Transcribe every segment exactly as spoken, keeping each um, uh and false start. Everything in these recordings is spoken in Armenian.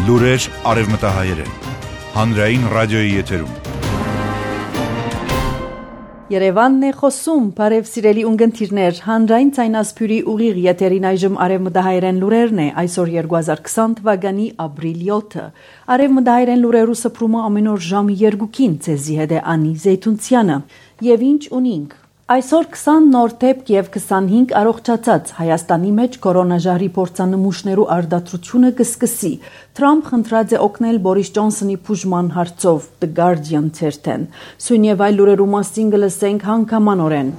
Լուրեր արևմտահայերեն, հանրային ռադիոյի եթերում։ Երևանն է խոսում, բարև սիրելի ունգընթիրներ, հանրային ցայնասփյուրի ուղիղ եթերին այժմ արևմտահայերեն լուրերն է, այսօր երկու հազար քսան թվականի ապրիլ յոթը։ Արևմտահայերեն լուրերու սփռումը ամեն օր ժամը երկուքին ցեզի հետ է Անի Զեյթունցյանը։ Եվ ինչ ունինք։ Այսօր քսան նոր դեպք եւ քսանհինգ առողջացած Հայաստանի մեջ կորոնաժահրի փորձանմուշներու արդարացությունը կսկսի։ Թրամփ խնդրած է օգնել Բորիս Ջոնսոնի բուժման հարցով The Guardian ցերտեն։ Սույն եւ այլ լուրերու մասին կլսենք հանգամանորեն։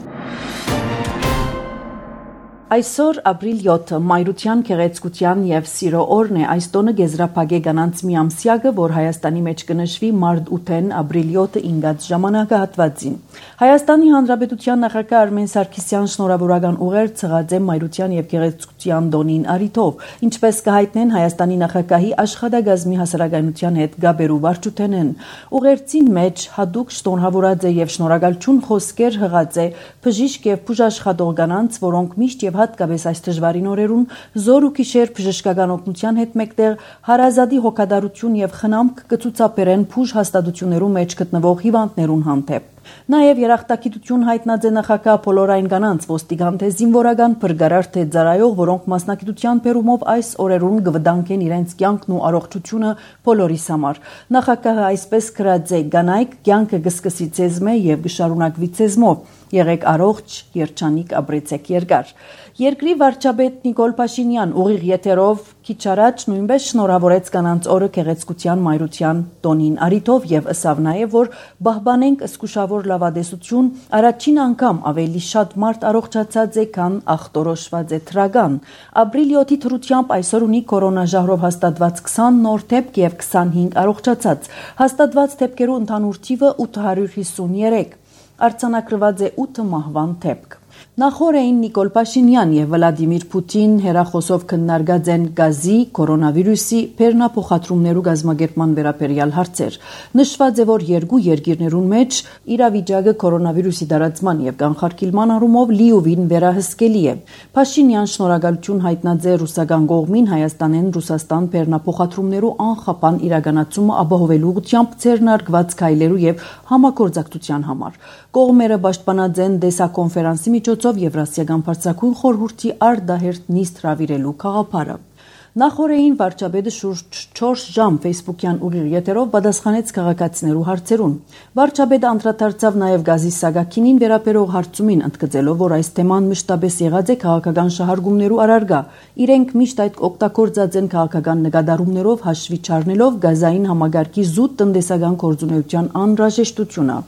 Այսօր ապրիլ յոթը մայրության, գեղեցկության եւ սիրո օրն է, այս տոնը գեզրափակե գանանց մի ամսյակը, որ Հայաստանի մեջ կնշվի մարտ ութին ապրիլ յոթը ինգած ժամանակահատվածին։ Հայաստանի Հանրապետության նախագահ Արմեն Սարգսյան շնորհավորական ուղեր ցղած է մայրության եւ գեղեցկության տոնին արիթով, ինչպես կհայտնեն Հայաստանի նախագահի աշխատակազմի հասարակայնության հետ գաբերու վարչութենեն։ Ուղերձին մեջ հadouk շնորհավորած է եւ շնորհակալություն խոսքեր հղած է բժիշկ եւ բուժաշխատող կանանց, որոնք միշտ եւ հատկապես այս դժվարին օրերուն զոր ու գիշեր բժշկական օգնության հետ մեկտեղ հարազատի հոգատարություն եւ խնամք կցուցաբերեն բուժ հաստատություններու մեջ գտնվող հիվանդներուն հանդեպ։ Նաև երախտագիտություն հայտնած է նախագահ բոլոր այն կանանց ոստիկան թե զինվորական բրգարար թե ծառայող, որոնք մասնակցության բերումով այս օրերուն կվտանգեն իրենց կյանքն ու առողջությունը բոլորիս համար։ Նախագահը այսպես գրած է. «Կանայք կյանքը կսկսի ցեզմե եւ կշարունակվի ցեզմով։ Եղեք առողջ, երջանիկ, ապրեցեք երկար»։ Երկրի վարչապետ Նիկոլ Փաշինյան ուղիղ եթերով քիչ առաջ նույնպես շնորհավորեց կանանց օրը գեղեցկության մայրության տոնին արիթով եւ ըսավ նաեւ, որ բահբանենք զգուշավոր լավադեսություն, առաջին անգամ ավելի շատ մարդ առողջացած է, քան ախտորոշված է թրական։ Ապրիլ յոթի թրությամբ այսօր ունի կորոնաժահրով հաստատված քսան նոր դեպք եւ քսանհինգ առողջացած։ Հաստատված դեպքերու ընդհանուր թիվը ութ հարյուր հիսունյոթ։ Արձանագրված է ութ մահվան դեպք։ Նախորդին Նիկոլ Փաշինյան եւ Վլադիմիր Պուտին հերախոսով քննարկած են գազի, կորոնավիրուսի, բեռնափոխադրումներու գազམ་ագերման վերաբերյալ հարցեր։ Նշված է, որ երկու երկիրներուն մեջ իրավիճակը կորոնավիրուսի տարածման եւ կանխարգելման առումով լիովին վերահսկելի է։ Փաշինյան շնորհակալություն հայտնած է ռուսական կողմին Հայաստանեն Ռուսաստան բեռնափոխադրումներու անխափան իրականացումը ապահովելու ուղղությամբ ձեռնարկված քայլերու եւ համագործակցության համար։ Կողմերը պաշտպանած են դեսակոնֆերանսի միջոցով Եվրասիական բարձրագույն խորհրդի արդահերթ նիստ հրավիրելու գաղափարը։ Նախորդին վարչապետը շուրջ չորս ժամ ֆեյսբուքյան ուղիղ եթերով պատասխանեց քաղաքացիներու հարցերուն։ Վարչապետը անդրադարձավ նաև գազի սագակինին վերաբերող հարցումին, ընդգծելով, որ այս թեման մշտապես եղած է քաղաքական շահարկումներու առարկա։ Իրենք միշտ այդ օգտագործած են քաղաքական նկատառումներով հաշվի չառնելով գազային համագարկի զուտ տնտեսական գործունեության անհրաժեշտությունը։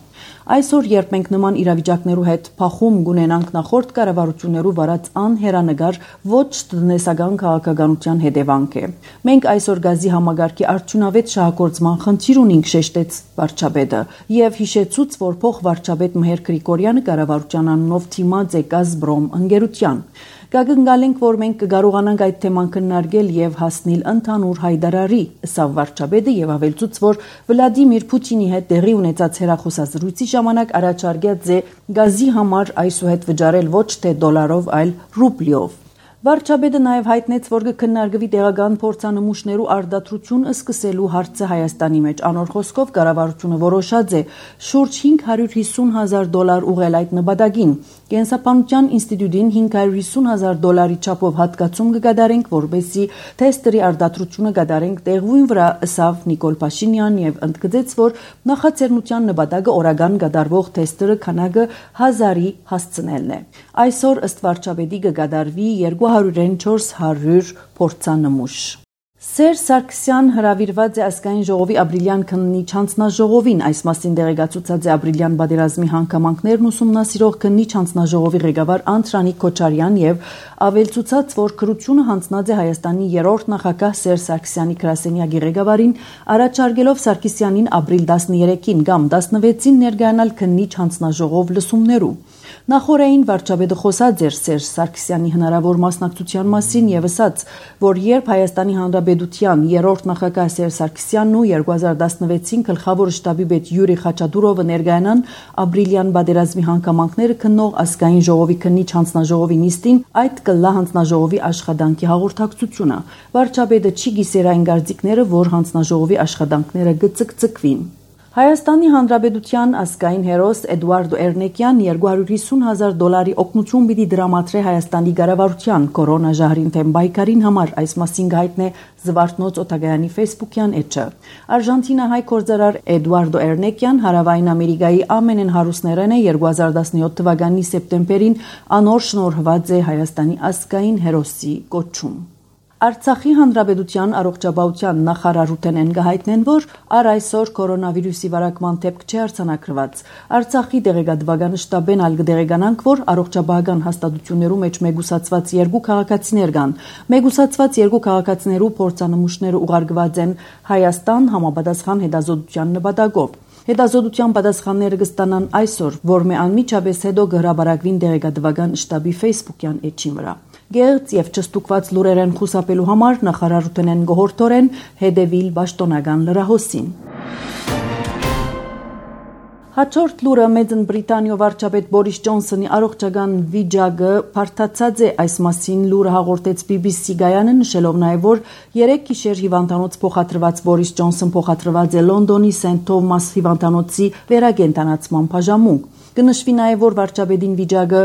Այսօր, երբ մենք նման իրավիճակներու հետ փախում գունենանք նախորդ կառավարություններու վարած անհերանեկար ոչ տնտեսական քաղաքականության հետևանք է։ Մենք այսօր գազի համագարկի արդյունավետ շահագործման խնդիր ունենք, շեշտեց վարչապետը եւ հիշեցուց, որ փոխվարչապետ Մհեր Գրիգորյանը կառավարության անունով թիմած է Գազբրոմ ընկերության։ Կգնգալենք, որ մենք կկարողանանք այդ թեման քննարկել եւ հասնել ընդհանուր հայտարարի, ըսավ վարչապետը եւ ավելցուց, որ Վլադիմիր Պուտինի հետ տեղի ունեցած հեռախոսազրույցի ժամանակ առաջարկած է գազի համար այսուհետ վճարել ոչ թե դոլարով, այլ ռուբլիով։ Վարչապետը նաև հայտնեց, որ կքննարկվի տեղական փորձանմուշներու արդարացություն սկսելու հարցը Հայաստանի մեջ։ Անոր խոսքով կառավարությունը որոշած է շուրջ հինգ հարյուր հիսուն հազար դոլար ուղղել այդ նպատակին։ Կենսաբանության ինստիտուտին հինգ հարյուր հիսուն հազար դոլարի չափով հատկացում կկատարենք, որպեսզի թեստերի արդարացությունը կատարենք տեղույն վրա, ըսավ Նիկոլ Փաշինյան եւ ընդգծեց, որ նախաձեռնության նպատակը օրական կատարվող թեստերը քանակը հազարի հասցնելն է։ Այսօր ըստ վարչապետի կկատարվի երկու հարյուր չորս հարյուր փորձանմուշ։ Սերժ Սարգսյան հրավիրված է ազգային ժողովի ապրիլյան քննիչ հանձնաժողովին, այս մասին տեղեկացուցած է ապրիլյան պատերազմի հանգամանքներն ուսումնասիրող քննիչ հանձնաժողովի ղեկավար Անդրանիկ Քոչարյան եւ ավելցուցած, որ քրությունը հանձնած է Հայաստանի երրորդ նախագահ Սերժ Սարգսյանի գրասենյակի ղեկավարին, առաջարկելով Սարգսյանին ապրիլ տասներեքին կամ տասնվեցին ներկայանալ քննիչ հանձնաժողով լսումներու։ Նախորդին վարչապետը խոսած էր Սերժ Սարգսյանի հնարավոր մասնակցության մասին եւ ասաց, որ երբ Հայաստանի Հանրապետության երրորդ նախագահ Սերժ Սարգսյանն ու երկու հազար տասնվեցին գլխավոր շտաբի պետ Յուրի Խաչատուրովը ներկայանան ապրիլյան պատերազմի հանգամանքները քննող ազգային ժողովի քննիչ հանձնաժողովի նիստին, այդ կլա հանձնաժողովի աշխատանքի հաղորդակցությունը։ Վարչապետը չի գիսեր այն գործիքները, որ հանձնաժողովի աշխատանքները գծկծկվին։ Հայաստանի Հանրապետության ազգային հերոս Էդուարդո Էրնեկյան երկու հարյուր հիսուն հազար դոլարի օգնություն պիտի դրամատրե Հայաստանի կառավարության կորոնա ժահրին թեմ բայկարին համար, այս մասին հայտնե Զվարթնոց օտագայանի ֆեյսբուքյան էջը։ Արժանտինահայ գործարար Էդուարդո Էրնեկյան Հարավային Ամերիկայի ամենեն հարուստներն է երկու հազար տասնյոթ թվականի սեպտեմբերին անոր շնորհված է Հայաստանի ազգային հերոսի կոչում։ Արցախի Հանրապետության առողջապահության նախարարութեն են գահիտնեն, որ առ այսօր կորոնավիրուսի վարակման դեպք չի արձանագրված։ Արցախի դեղեկատվական շտաբեն ալ կդեղեկանանք, որ առողջապահական հաստատություններու մեջ մեգուսացված երկու քաղաքացիներ կան։ Մեգուսացված երկու քաղաքացիներու փորձանմուշները ուղարկված են Հայաստան համապատասխան հետազոտության նպատակով։ Հետազոտության պատասխանները կստանան այսօր, որ մե անմիջապես հետո կհրապարակվին դեղեկատվական շտաբի ֆեյսբուքյան էջի վրա։ Գեղձ եւ չստուկված լուրերեն խուսափելու համար նախարարութեն են գողորթորեն հետևիլ պաշտոնական լրահոսին։ Հաջորդ լուրը Մեծն Բրիտանիո վարչապետ Բորիս Ջոնսոնի առողջական վիճակը բարդացած է, այս մասին լուրը հաղորդեց բի բի սի գայանը, նշելով նաև, որ երեք գիշեր հիվանդանոց փոխադրված Բորիս Ջոնսոն փոխադրված է Լոնդոնի Սենթ Թոմաս հիվանդանոցի վերակենդանացման բաժանմունք։ Կնշվի նաև, որ վարչապետին վիճակը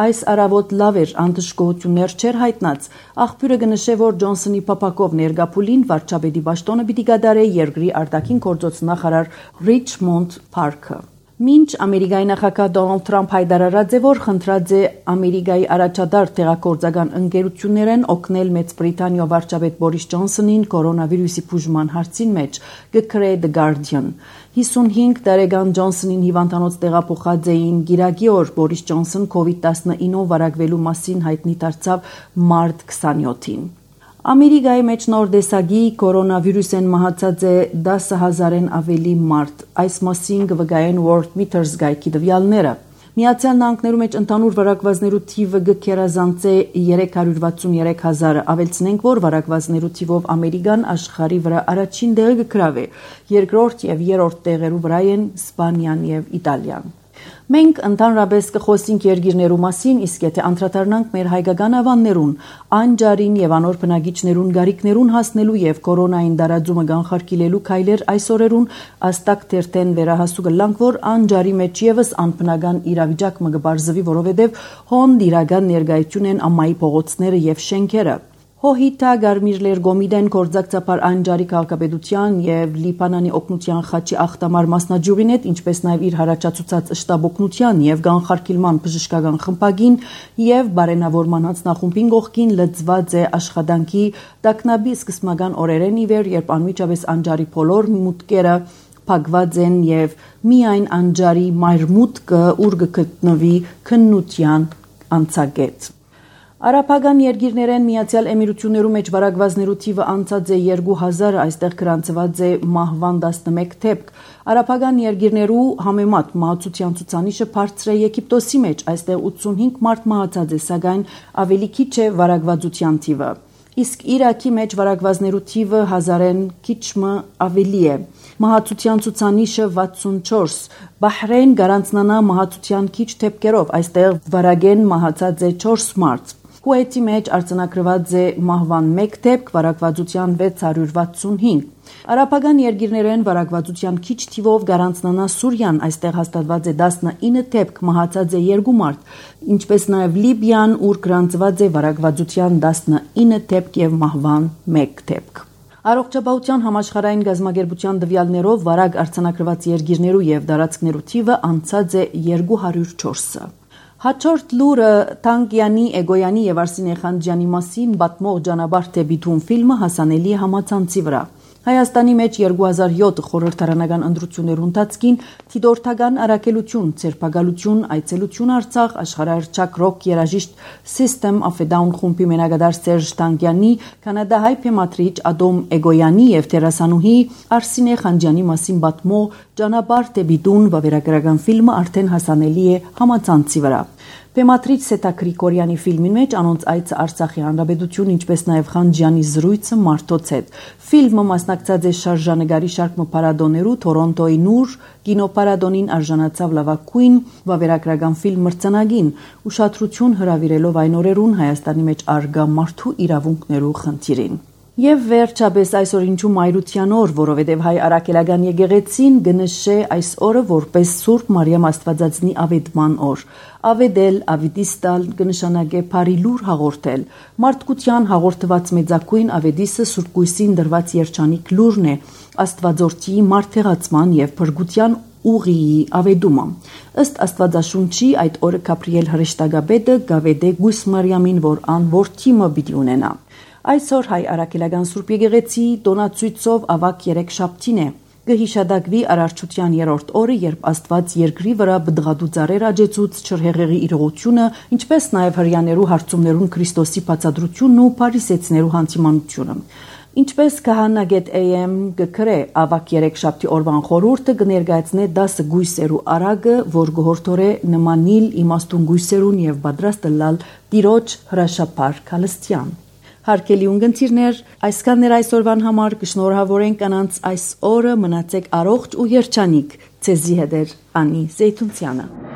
այս առավոտ լավ էր, անդժգոհություններ չէր հայտնած։ Աղբյուրը կնշե, որ Ջոնսոնի փապակով ներգապուլին վարչապետի պաշտոնը պիտի կատարե երկրի արտաքին գործոց նախարար Ռիչմոնդ Փարքը։ Մինչ Ամերիկայի նախագահ Դոնալդ Թրամփ հայտարարած է, որ խնդրած է Ամերիկայի առաջադար տեղակորձական ընկերություններեն օգնել Մեծ Բրիտանիո վարչապետ Բորիս Ջոնսոնին կորոնավիրուսի բուժման հարցին մեջ, կգրե The Guardian։ հիսունհինգ տարեկան Ջոնսոնին հիվանդանոց տեղափոխած էին գիրակի օր Բորիս Ջոնսոն կովիդ տասնինով վարակվելու մասին հայտնի դարձավ մարտ քսանյոթին։ Ամերիկայի մեջ նոր տեսակի կորոնավիրուսեն մահացած է դասը հազարեն ավելի մարդ։ Այս մասին կվկայեն World Meters գայքի տվյալները։ Միացյալ Նահանգներու մեջ ընդհանուր վարակվածներու թիվը կգերազանցե երեք հարյուր վաթսունյոթ հազարը։ Ավելցնենք, որ վարակվածներու թիվով Ամերիկան աշխարհի վրա առաջին տեղը կգրավե։ Երկրորդ եւ երրորդ տեղերու վրա են Իսպանիան եւ Իտալիան։ Մենք ընդհանրապես կխոսենք երկիրներու մասին, իսկ եթե անդրադառնանք մեր հայկական ավաններուն, անջարին եւ անոր բնակիչներուն գարիկներուն հասնելու եւ կորոնային դարաձումը կանխարգելելու քայլեր այս օրերուն աստակ թերթեն վերահասու կլանք, որ անջարի մեջ եւս անբնական իրավիճակ մը կբարձվի, որովհետեւ հոն իրական ներկայություն են ամայի փողոցները եւ շենքերը։ Հոհիտա Գարմիրլեր Գոմիդեն կորձակցապար անջարի քաղաքապետության եւ Լիբանանի օգնության խաչի ախտամար մասնաճյուղին հետ, ինչպես նաեւ իր հարաճացուցած շտաբ օգնության եւ կանխարգելման բժշկական խմբագին եւ բարենավորման հանձնախումբին կողքին լծված է աշխատանքի տակնաբի սկզբնական օրերեն ի վեր, երբ անմիջապես անջարի բոլոր մուտքերը փակված են եւ միայն անջարի մայրմուտքը ուր կգտնվի քննության անցագետ։ Արաբական երկիրներեն Միացյալ Էմիրություններու մեջ վարակվածներու թիվը անցած է երկու հազարը, այստեղ գրանցված է մահվան տասնմեկ դեպք։ Արաբական երկիրներու համեմատ մահացության ցուցանիշը բարձր է Եգիպտոսի մեջ, այստեղ ութսունհինգ մարդ մահացած է, սակայն ավելի քիչ է վարակվածության թիվը։ Իսկ Իրաքի մեջ վարակվածներու թիվը հազարեն քիչմը ավելի է։ Մահացության ցուցանիշը վաթսունչորս։ Բահրեյն գարանցնանա մահացության քիչ դեպքերով, այստեղ վարագեն մահացած է չորս մարդ։ Կուվեյթի մեջ արձանագրված է մահվան մեկ դեպք, վարակվածության վեց հարյուր վաթսունհինգ։ Արաբական երկիրներեն վարակվածության քիչ թիվով գարանցնանա Սուրիան, այստեղ հաստատված է տասնինը դեպք, մահացած է երկու մարդ, ինչպես նաև Լիբիան, ուր գրանցված է վարակվածության տասնինը դեպք եւ մահվան մեկ դեպք։ Առողջապահության համաշխարհային գազագերբության տվյալներով վարակ արձանագրված երկիրներու եւ դարածքներու թիվը անցած է երկու հարյուր չորսը։ Հաջորդ լուրը Թանգյանի, Էգոյանի եւ Արսինե Խանջյանի մասին պատմող Ջանաբար դեպի Թուն ֆիլմը հասանելի է համացանցի վրա։ Հայաստանի մեջ երկու հազար յոթ խորհրդարանական ընտրություններու ընթացքին թիդորթական առաքելություն, ցերպակալություն, այցելություն Արցախ, աշխարհահռչակ ռոք երաժիշտ System of a Down խումբի մենակատար Սերժ Տանկյանի, կանադահայ փեմատրիչ Ադոմ Էգոյանի եւ դերասանուհի Արսինե Խանջյանի մասին բատմո «Ճանապարհ դեպի տուն» վավերագրական ֆիլմը արդեն հասանելի է համացանցի վրա։ Փեմատրիչ Սետա Գրիգորյանի ֆիլմի մեջ անոնց այցը Արցախի հանրապետություն, ինչպես նաև Խանջյանի զրույցը մարդոց հետ։ Ֆիլմը մասնակցած է շարժանագարի շարք մփարադոներու Թորոնտոյի նուր կինոպարադոնին արժանացավ լավագույն վավերագրական ֆիլմ մրցանակին, ուշադրություն հրավիրելով այն օրերուն Հայաստանի մեջ արգա մարդու իրավունքներու խնդիրին։ Եվ վերջապես այսօր ինչու մայրության օր, որովհետև հայ արաքելական եկեղեցին գնշե այս օրը որպես Սուրբ Մարիամ Աստվածածնի ավետման օր։ Ավետել, ավետիստալ կնշանակե բարի լուր հաղորդել։ Մարդկության հաղորդված մեծակույն ավետիսը Սուրբ Գույսին դրված երջանիկ լուրն է, Աստվածորդի մարդեղացման եւ փրկության ուղիի ավետումը։ Ըստ Աստվածաշունչի այդ օրը Գաբրիել հրեշտակապետը գավեդե Գույս Մարիամին, որ ան որդի մը պիտի ունենա։ Այսօր հայ արաքելական Սուրբ եկեղեցի տոնացույցով ավակ երեք շաբթին է։ Կհիշադակվի արարչության երրորդ օրը, երբ Աստված երկրի վրա բդղադու ծառեր աճեցուց չրհեղեղի իրողությունը, ինչպես նաև հրյաներու հարցումներուն Քրիստոսի բացադրությունն ու փարիսեցիներու հանդիմանությունը։ Ինչպես Քահանագետ A M գկրե ավակ երեք շաբթի օրվան խորհուրդը կներկայացնե դասը գույսերու արագը, որ գողորթորե նմանիլ իմաստուն գույսերուն եւ պատրաստ լալ տիրոջ հրաշափար քալստյան։ Հարկելի ունգընտիրներ, այսքանն էր այսօրվան համար, կշնորհավորենք կանանց այս օրը, մնացեք առողջ ու երջանիկ, ցեզի հետ էր Անի Զեյթունցյանը։